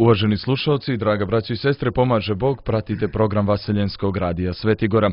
Uvaženi slušalci, draga braćo i sestre, pomaže Bog, pratite program Vaseljenskog radija Svetigora.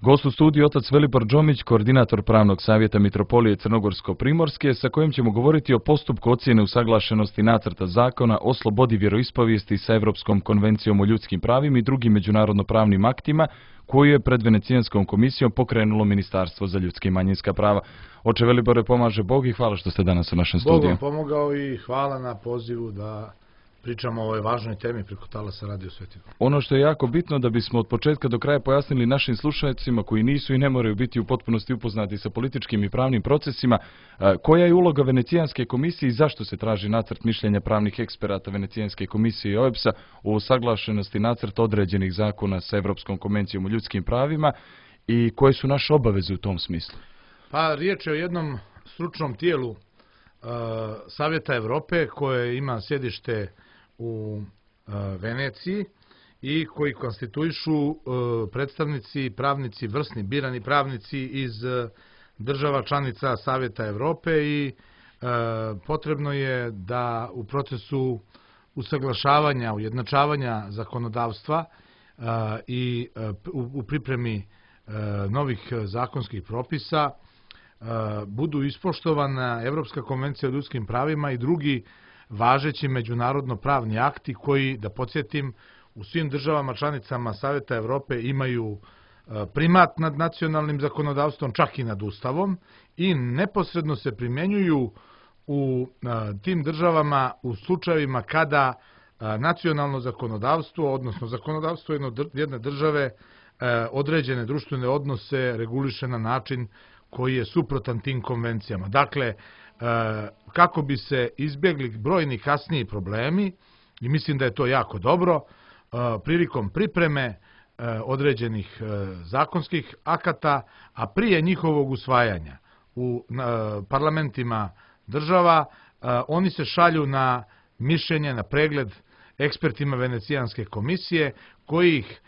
Gost u studiju otac Velibor Džomić, koordinator pravnog savjeta Mitropolije Crnogorsko-Primorske, sa kojim ćemo govoriti o postupku ocjene usaglašenosti nacrta zakona o slobodi vjeroispovijesti sa Evropskom konvencijom o ljudskim pravima i drugim međunarodno-pravnim aktima, koju je pred Venecijanskom komisijom pokrenulo Ministarstvo za ljudska i manjinska prava. Oče Velibore, pomaže Bog i hvala što ste danas u našem studiju. Bog vam pomogao i hvala na pozivu da pričamo o ovoj važnoj temi preko talasa Radio Svetigora. Ono što je jako bitno da bismo od početka do kraja pojasnili našim slušalcima koji nisu i ne moraju biti u potpunosti upoznati sa političkim i pravnim procesima, koja je uloga Venecijanske komisije i zašto se traži nacrt mišljenja pravnih eksperata Venecijanske komisije i OEBS-a o usaglašenosti nacrta određenih zakona sa Evropskom konvencijom o ljudskim pravima i koje su naše obaveze u tom smislu? Pa riječ je o jednom stručnom tijelu Savjeta Evrope koje ima sjedište u Veneciji i koji konstituišu predstavnici, pravnici, vrsni birani pravnici iz država članica Savjeta Evrope i potrebno je da u procesu usaglašavanja, ujednačavanja zakonodavstva i u pripremi novih zakonskih propisa budu ispoštovana Evropska konvencija o ljudskim pravima i drugi važeći međunarodno-pravni akti koji, da podsjetim, u svim državama članicama Savjeta Evrope imaju primat nad nacionalnim zakonodavstvom, čak i nad Ustavom, i neposredno se primjenjuju u tim državama u slučajevima kada nacionalno zakonodavstvo, odnosno zakonodavstvo jedne države, određene društvene odnose reguliše na način koji je suprotan tim konvencijama. Dakle, kako bi se izbjegli brojni kasniji problemi, i mislim da je to jako dobro, prilikom pripreme određenih zakonskih akata, a prije njihovog usvajanja u parlamentima država, oni se šalju na mišljenje, na pregled ekspertima Venecijanske komisije, koji ih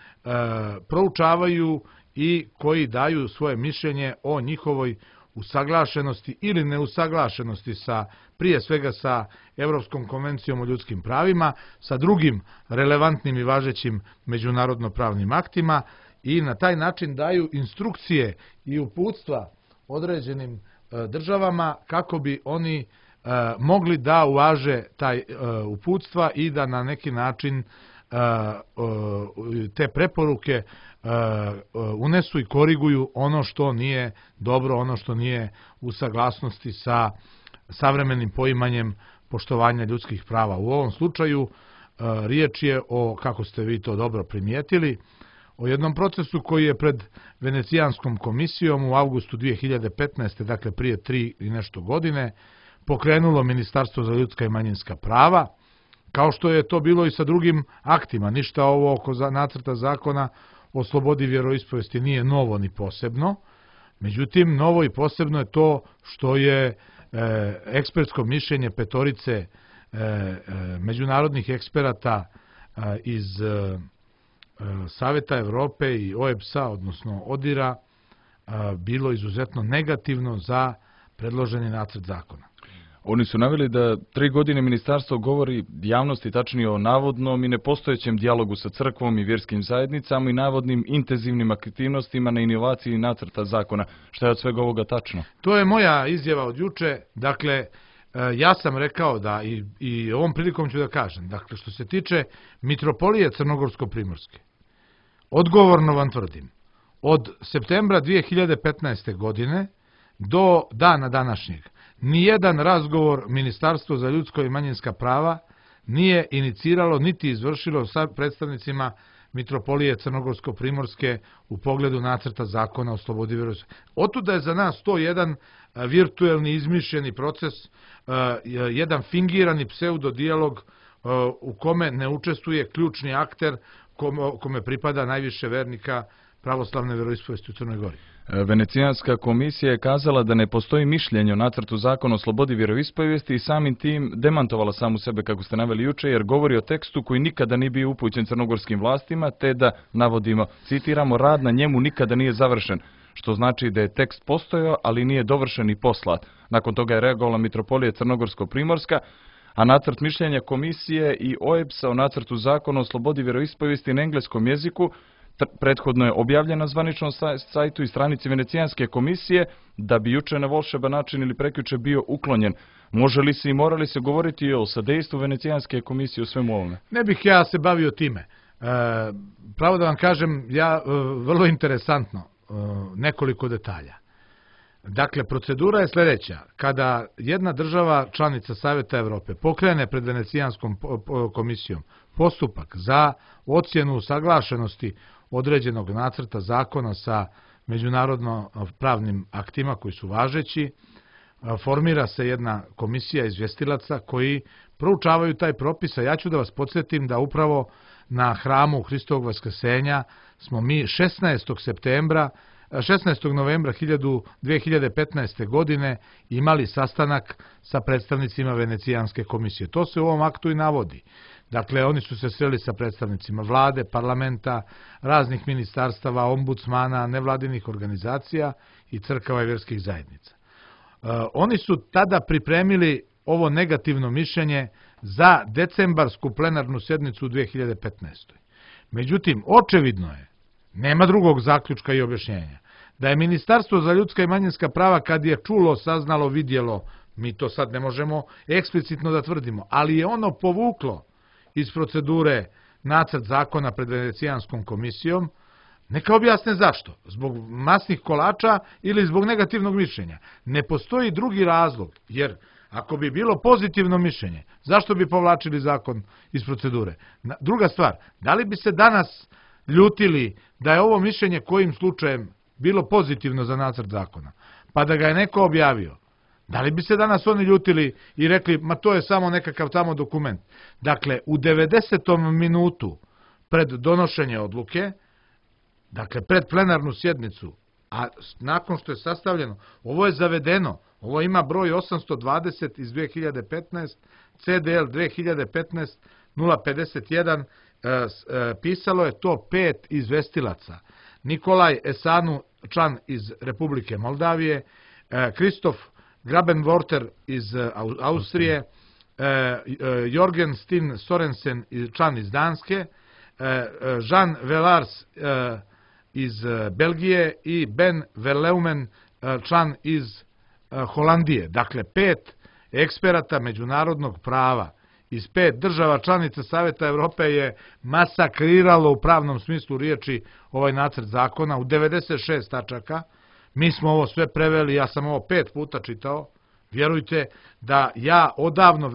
proučavaju i koji daju svoje mišljenje o njihovoj usaglašenosti ili neusaglašenosti prije svega sa Evropskom konvencijom o ljudskim pravima, sa drugim relevantnim i važećim međunarodno-pravnim aktima i na taj način daju instrukcije i uputstva određenim državama kako bi oni mogli da uvaže taj uputstva i da na neki način te preporuke unesu i koriguju ono što nije dobro, ono što nije u saglasnosti sa savremenim poimanjem poštovanja ljudskih prava. U ovom slučaju riječ je o, kako ste vi to dobro primijetili, o jednom procesu koji je pred Venecijanskom komisijom u avgustu 2015. dakle prije 3 i nešto godine, pokrenulo Ministarstvo za ljudska i manjinska prava, kao što je to bilo i sa drugim aktima. Ništa ovo oko nacrta zakona o slobodi vjeroispovijesti nije novo ni posebno. Međutim, novo i posebno je to što je ekspertsko mišljenje petorice međunarodnih eksperata iz Savjeta Evrope i OEBS-a, odnosno ODIR-a, bilo izuzetno negativno za predloženi nacrt zakona. Oni su naveli da 3 godine ministarstvo govori javnosti, tačnije o navodnom i nepostojećem dijalogu sa crkvom i vjerskim zajednicama i navodnim intenzivnim aktivnostima na inovaciji nacrta zakona. Šta je od svega ovoga tačno? To je moja izjava od juče. Dakle, ja sam rekao da i ovom prilikom ću da kažem, dakle, što se tiče Mitropolije Crnogorsko-Primorske, odgovorno vam tvrdim, od septembra 2015. godine do dana današnjeg, nijedan razgovor Ministarstvo za ljudsko i manjinska prava nije iniciralo niti izvršilo sa predstavnicima Mitropolije Crnogorsko-Primorske u pogledu nacrta zakona o slobodi vjeroispovijesti. Otuda je za nas to jedan virtuelni izmišljeni proces, jedan fingirani pseudodijalog u kome ne učestvuje ključni akter kome pripada najviše vernika pravoslavne vjeroispovijesti u Crnoj Gori. Venecijanska komisija je kazala da ne postoji mišljenje o nacrtu zakona o slobodi vjeroispovijesti i samim tim demantovala samu sebe, kako ste naveli juče, jer govori o tekstu koji nikada nije bio upućen crnogorskim vlastima, te da, navodimo, citiramo, rad na njemu nikada nije završen, što znači da je tekst postojao, ali nije dovršen i poslat. Nakon toga je reagovala Mitropolija Crnogorsko-Primorska, a nacrt mišljenja komisije i OEBS-a o nacrtu zakona o slobodi vjeroispovijesti na engleskom jeziku prethodno je objavljen na zvaničnom sajtu i stranici Venecijanske komisije, da bi juče na volšeban način ili prekjuče bio uklonjen. Može li se i mora li se govoriti o sadejstvu Venecijanske komisije u svemu ovome? Ne bih ja se bavio time. Pravo da vam kažem, vrlo interesantno, nekoliko detalja. Dakle, procedura je sljedeća. Kada jedna država članica Savjeta Evrope pokrene pred Venecijanskom komisijom postupak za ocjenu usaglašenosti određenog nacrta zakona sa međunarodno pravnim aktima koji su važeći, formira se jedna komisija izvjestilaca koji proučavaju taj propis, a ja ću da vas podsjetim da upravo na hramu Hristovog vaskrsenja smo mi 16. novembra 2015. godine imali sastanak sa predstavnicima Venecijanske komisije. To se u ovom aktu i navodi. Dakle, oni su se sreli sa predstavnicima vlade, parlamenta, raznih ministarstava, ombudsmana, nevladinih organizacija i crkava i vjerskih zajednica. Oni su tada pripremili ovo negativno mišljenje za decembarsku plenarnu sjednicu u 2015. Međutim, očevidno je, nema drugog zaključka i objašnjenja, da je Ministarstvo za ljudska i manjinska prava, kad je čulo, saznalo, vidjelo, mi to sad ne možemo eksplicitno da tvrdimo, ali je ono povuklo iz procedure nacrt zakona pred Venecijanskom komisijom. Neka objasne zašto. Zbog masnih kolača ili zbog negativnog mišljenja. Ne postoji drugi razlog, jer ako bi bilo pozitivno mišljenje, zašto bi povlačili zakon iz procedure? Druga stvar, da li bi se danas ljutili da je ovo mišljenje kojim slučajem bilo pozitivno za nacrt zakona, pa da ga je neko objavio? Da li bi se danas oni ljutili i rekli, ma to je samo nekakav tamo dokument? Dakle, u 90. minutu pred donošenje odluke, dakle, pred plenarnu sjednicu, a nakon što je sastavljeno, ovo je zavedeno, ovo ima broj 820 iz 2015, CDL 2015 051, pisalo je to 5 izvestilaca. Nikolaj Esanu, član iz Republike Moldavije, Kristof Grabenworter iz Austrije, Jorgen Stin Sorensen, član iz Danske, Jean Velars iz Belgije i Ben Verleumen, član iz Holandije. Dakle, 5 eksperata međunarodnog prava iz 5 država članica Savjeta Evrope je masakriralo u pravnom smislu riječi ovaj nacrt zakona u 96 tačaka. Mi smo ovo sve preveli, ja sam ovo 5 puta čitao. Vjerujte da ja odavno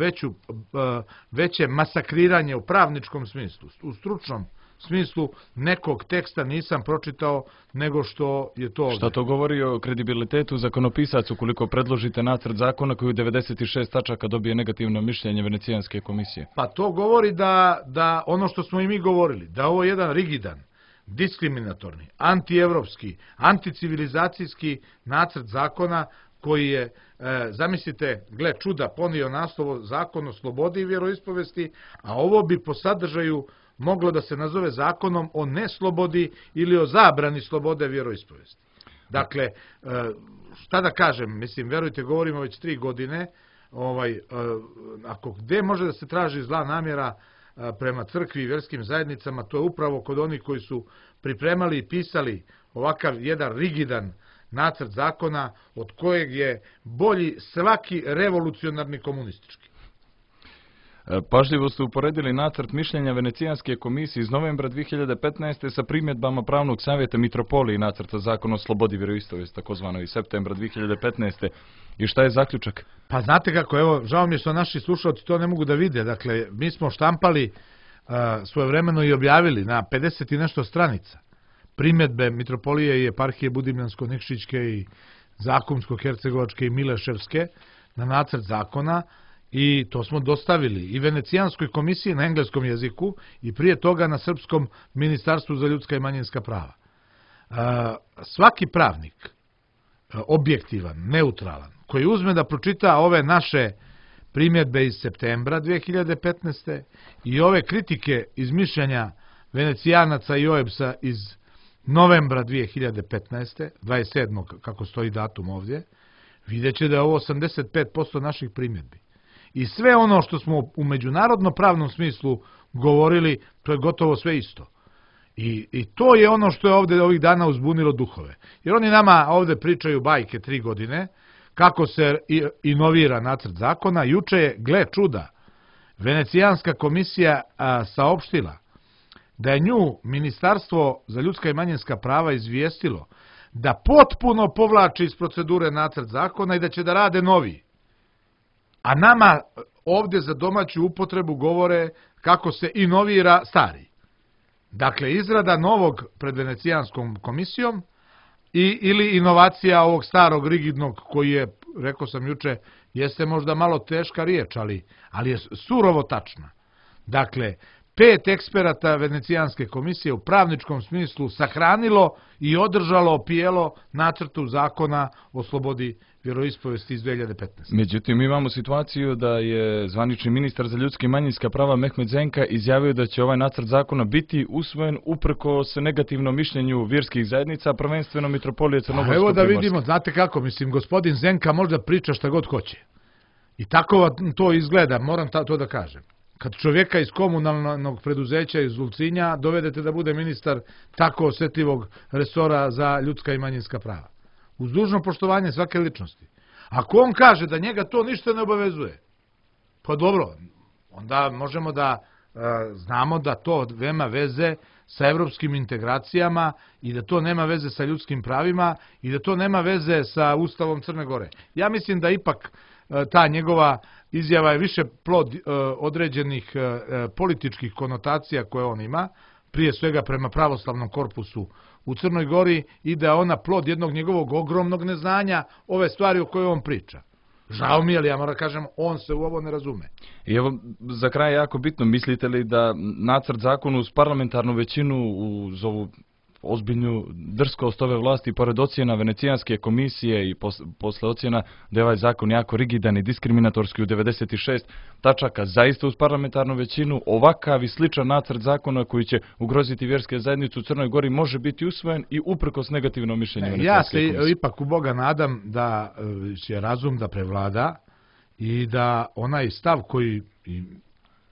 veće masakriranje u pravničkom smislu, u stručnom smislu nekog teksta nisam pročitao nego što je to ovdje. Šta to govori o kredibilitetu zakonopisaca ukoliko predložite nacrt zakona koji u 96 tačaka dobije negativno mišljenje Venecijanske komisije? Pa to govori da ono što smo i mi govorili, da ovo je jedan rigidan, diskriminatorni, antievropski, anticivilizacijski nacrt zakona koji je, zamislite, gle čuda, ponio naslov Zakon o slobodi i vjeroispovesti, a ovo bi po sadržaju moglo da se nazove zakonom o neslobodi ili o zabrani slobode vjeroispovesti. Dakle, šta da kažem, mislim, verujte, govorimo već 3 godine, ako gde može da se traži zla namjera prema crkvi i vjerskim zajednicama, to je upravo kod onih koji su pripremali i pisali ovakav jedan rigidan nacrt zakona od kojeg je bolji svaki revolucionarni komunistički. Pažljivo ste uporedili nacrt mišljenja Venecijanske komisije iz novembra 2015. sa primjedbama Pravnog savjeta Mitropolije i nacrta zakona o slobodi vjeroispovijesti, takozvano iz septembra 2015. I šta je zaključak? Pa znate kako, evo, žao mi je što naši slušalci to ne mogu da vide. Dakle, mi smo štampali svojevremeno i objavili na 50 i nešto stranica primjedbe Mitropolije i eparhije Budimljansko-Nikšićke i Zakumsko-Hercegovačke i Mileševske na nacrt zakona. I to smo dostavili i Venecijanskoj komisiji na engleskom jeziku i prije toga na srpskom Ministarstvu za ljudska i manjinska prava. Svaki pravnik, objektivan, neutralan, koji uzme da pročita ove naše primjedbe iz septembra 2015. i ove kritike iz mišljenja Venecijanaca i OEBS-a iz novembra 2015. 27. kako stoji datum ovdje, vidjet će da je ovo 85% naših primjedbi. i sve ono što smo u međunarodno pravnom smislu govorili, to je gotovo sve isto. I to je ono što je ovde ovih dana uzbunilo duhove. Jer oni nama ovde pričaju bajke 3 godine, kako se inovira nacrt zakona. Juče je, gle čuda, Venecijanska komisija saopštila da je nju Ministarstvo za ljudska i manjinska prava izvijestilo da potpuno povlači iz procedure nacrt zakona i da će da rade novi. A nama ovde za domaću upotrebu govore kako se inovira stari. Dakle, izrada novog pred Venecijanskom komisijom ili inovacija ovog starog rigidnog koji je, rekao sam juče, jeste možda malo teška riječ, ali je surovo tačna. Dakle, 5 eksperata Venecijanske komisije u pravničkom smislu sahranilo i održalo pijelo nacrtu zakona o slobodi vjeroispovesti iz 2015. Međutim, imamo situaciju da je zvanični ministar za ljudska i manjinska prava Mehmet Zenka izjavio da će ovaj nacrt zakona biti usvojen uprkos negativnom mišljenju vjerskih zajednica, prvenstveno Mitropolije Crnogorsko-Primorske. Evo da vidimo, znate kako, mislim, gospodin Zenka možda priča šta god hoće. I tako to izgleda, moram to da kažem. Kad čovjeka iz komunalnog preduzeća iz Ulcinja dovedete da bude ministar tako osjetljivog resora za ljudska i manjinska prava. Uz dužno poštovanje svake ličnosti. Ako on kaže da njega to ništa ne obavezuje, pa dobro, onda možemo da znamo da to nema veze sa evropskim integracijama i da to nema veze sa ljudskim pravima i da to nema veze sa Ustavom Crne Gore. Ja mislim da ipak ta njegova izjava je više plod određenih političkih konotacija koje on ima, prije svega prema pravoslavnom korpusu u Crnoj Gori, i da je ona plod jednog njegovog ogromnog neznanja ove stvari o kojoj on priča. Žao mi je, ali ja moram kažem, on se u ovo ne razume. I evo, za kraj jako bitno, mislite li da nacrt zakona uz parlamentarnu većinu, uz ovu ozbiljnu drskost ove vlasti, pored ocjena Venecijanske komisije i posle ocjena da je ovaj zakon jako rigidan i diskriminatorski u 96 tačaka, zaista uz parlamentarnu većinu ovakav i sličan nacrt zakona koji će ugroziti vjerske zajednice u Crnoj Gori može biti usvojen i uprkos negativnom mišljenju Venecijanske komisije? Ja se ipak u Boga nadam da će razum da prevlada i da onaj stav koji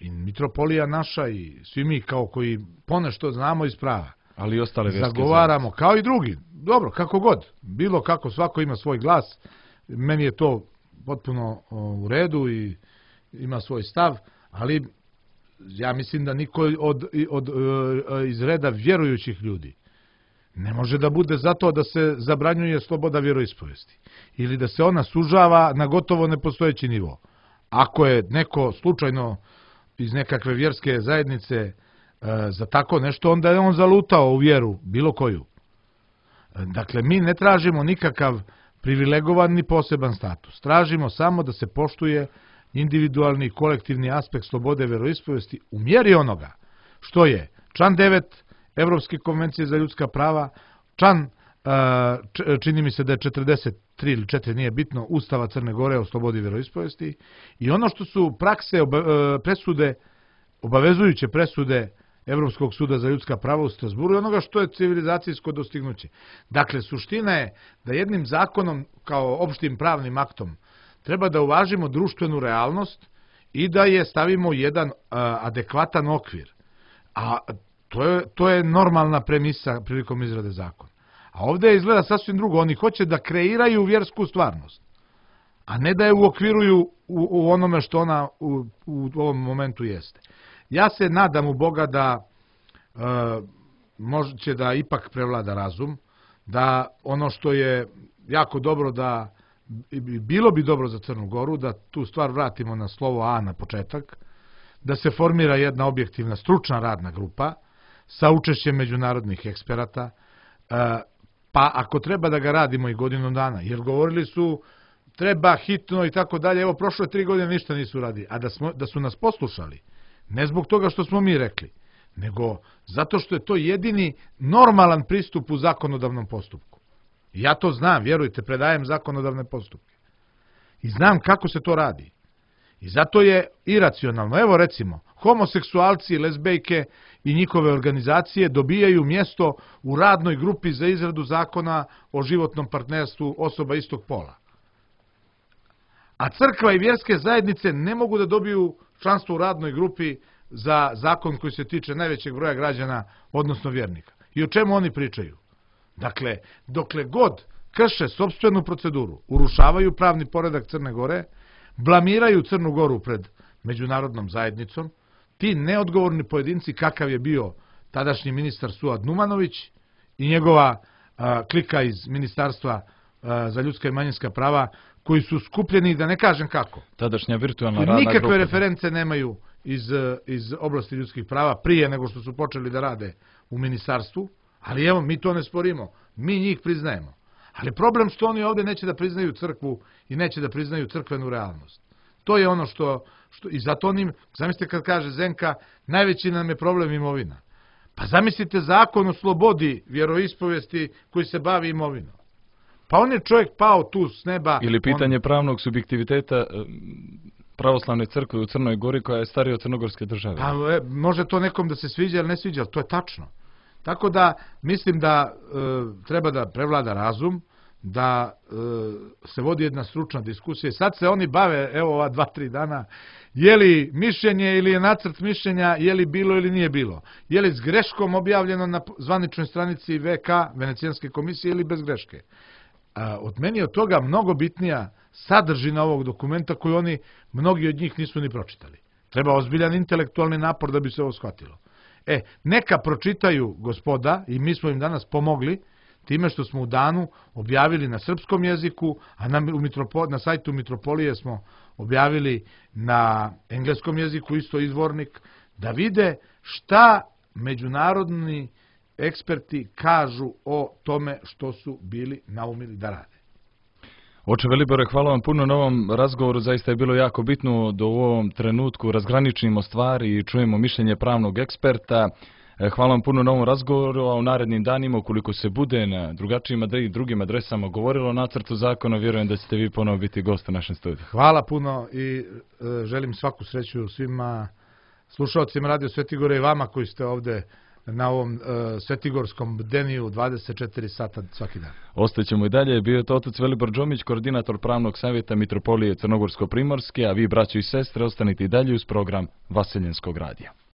i Mitropolija naša i svi mi kao koji ponešto znamo iz prava, ali i ostale vjerske zagovaramo, kao i drugi, dobro, kako god, bilo kako, svako ima svoj glas, meni je to potpuno u redu i ima svoj stav, ali ja mislim da niko iz reda vjerujućih ljudi ne može da bude zato da se zabranjuje sloboda vjeroispovesti ili da se ona sužava na gotovo nepostojeći nivo. Ako je neko slučajno iz nekakve vjerske zajednice za tako nešto, onda je on zalutao u vjeru, bilo koju. Dakle, mi ne tražimo nikakav privilegovan ni poseban status. Tražimo samo da se poštuje individualni i kolektivni aspekt slobode vjeroispovesti u mjeri onoga što je član 9 Evropske konvencije za ljudska prava, član, čini mi se da je 43 ili 4, nije bitno, Ustava Crne Gore o slobodi vjeroispovesti, i ono što su prakse, presude, obavezujuće presude Evropskog suda za ljudska prava u Strasburu i onoga što je civilizacijsko dostignuće. Dakle, suština je da jednim zakonom kao opštim pravnim aktom treba da uvažimo društvenu realnost i da je stavimo jedan adekvatan okvir. A to je normalna premisa prilikom izrade zakona. A ovdje izgleda sasvim drugo. Oni hoće da kreiraju vjersku stvarnost, a ne da je uokviruju u onome što ona u ovom momentu jeste. Ja se nadam u Boga da može da ipak prevlada razum, da ono što je jako dobro, da bilo bi dobro za Crnu Goru, da tu stvar vratimo na slovo A na početak, da se formira jedna objektivna stručna radna grupa sa učešćem međunarodnih eksperata, pa ako treba da ga radimo i godinu dana, jer govorili su treba hitno i tako dalje, evo prošle 3 godine ništa nisu radili, a da su nas poslušali, ne zbog toga što smo mi rekli, nego zato što je to jedini normalan pristup u zakonodavnom postupku. Ja to znam, vjerujte, predajem zakonodavne postupke. I znam kako se to radi. I zato je iracionalno. Evo recimo, homoseksualci, lezbejke i njihove organizacije dobijaju mjesto u radnoj grupi za izradu zakona o životnom partnerstvu osoba istog pola. A crkva i vjerske zajednice ne mogu da dobiju članstvo u radnoj grupi za zakon koji se tiče najvećeg broja građana, odnosno vjernika. I o čemu oni pričaju? Dakle, dokle god krše sopstvenu proceduru, urušavaju pravni poredak Crne Gore, blamiraju Crnu Goru pred međunarodnom zajednicom, ti neodgovorni pojedinci kakav je bio tadašnji ministar Suad Numanović i njegova klika iz Ministarstva za ljudska i manjinska prava, koji su skupljeni, da ne kažem kako. Tadašnja virtualna radna grupa. Nikakve reference nemaju iz oblasti ljudskih prava prije nego što su počeli da rade u ministarstvu, ali evo, mi to ne sporimo, mi njih priznajemo. Ali problem što oni ovdje neće da priznaju crkvu i neće da priznaju crkvenu realnost. To je ono što i zato onim, zamislite kad kaže Zenka, najveći nam je problem imovina. Pa zamislite zakon o slobodi vjeroispovesti koji se bavi imovinom. Pa on je čovjek pao tu s neba. Ili pitanje pravnog subjektiviteta pravoslavne crkve u Crnoj Gori koja je starija od crnogorske države. Pa može to nekom da se sviđa ili ne sviđa, ali to je tačno. Tako da mislim da treba da prevlada razum, da se vodi jedna stručna diskusija. Sad se oni bave, evo ova 2-3 dana, je li mišljenje ili je nacrt mišljenja, je li bilo ili nije bilo. Je li s greškom objavljeno na zvaničnoj stranici VK, Venecijanske komisije, ili bez greške. Od meni je od toga mnogo bitnija sadržina ovog dokumenta koju oni, mnogi od njih nisu ni pročitali. Treba ozbiljan intelektualni napor da bi se ovo shvatilo. Neka pročitaju gospoda i mi smo im danas pomogli time što smo u danu objavili na srpskom jeziku, a na sajtu Mitropolije smo objavili na engleskom jeziku isto izvornik, da vide šta međunarodni eksperti kažu o tome što su bili naumili da rade. Oče Velibore, hvala vam puno na ovom razgovoru, zaista je bilo jako bitno da u ovom trenutku razgraničimo stvari i čujemo mišljenje pravnog eksperta. Hvala vam puno na ovom razgovoru, a u narednim danima, ukoliko se bude na drugačijim i drugim adresama govorilo o nacrtu zakona, vjerujem da ćete vi ponovo biti gost u našem studiju. Hvala puno i želim svaku sreću svima slušalcima Radio Svetigore i vama koji ste ovde na ovom svetigorskom bdeniju 24 sata svaki dan. Ostaćemo i dalje. Bio je to otac Velibor Džomić, koordinator pravnog savjeta Mitropolije Crnogorsko-Primorske, a vi, braćo i sestre, ostanite i dalje uz program Vaseljenskog radija.